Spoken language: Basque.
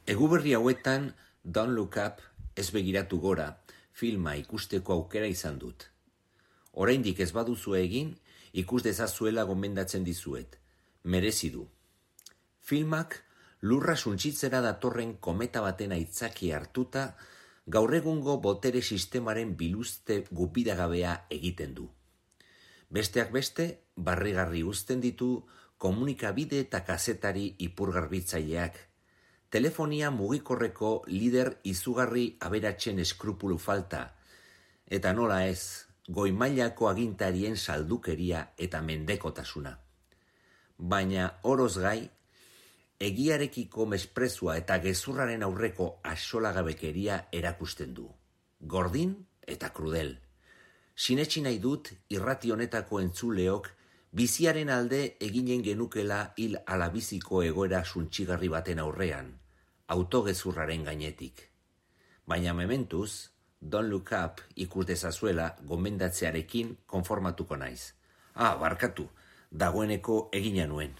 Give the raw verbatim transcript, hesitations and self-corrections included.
Eguberri hauetan Don't Look Up, ez begiratu gora, filma ikusteko aukera izan dut. Oraindik ez baduzu egin, ikus dezazuela gomendatzen dizuet. Merezi du. Filmak lurra suntsitzera datorren kometa baten aitzaki hartuta, gaur egungo botere sistemaren biluzte gupidagabea egiten du. Besteak beste, barrigarri uzten ditu komunikabide eta kazetari ipurgarbitzaileak, telefonia mugikorreko lider izugarri aberatsen eskrupulu falta, eta nola ez, goi-mailako agintarien saldukeria eta mendekotasuna. Baina oroz gai, egiarekiko mesprezua eta gezurraren aurreko axolagabekeria erakusten du. Gordin eta krudel. Sinetsi nahi dut irrati honetako entzuleok biziaren alde eginen genukela hil alabiziko egoera suntsigarri baten aurrean, autogezurraren gainetik. Baina mementuz, Don't Look Up ikus dezazuela gomendatzearekin konformatuko naiz. Ah, barkatu, dagoeneko egina nuen.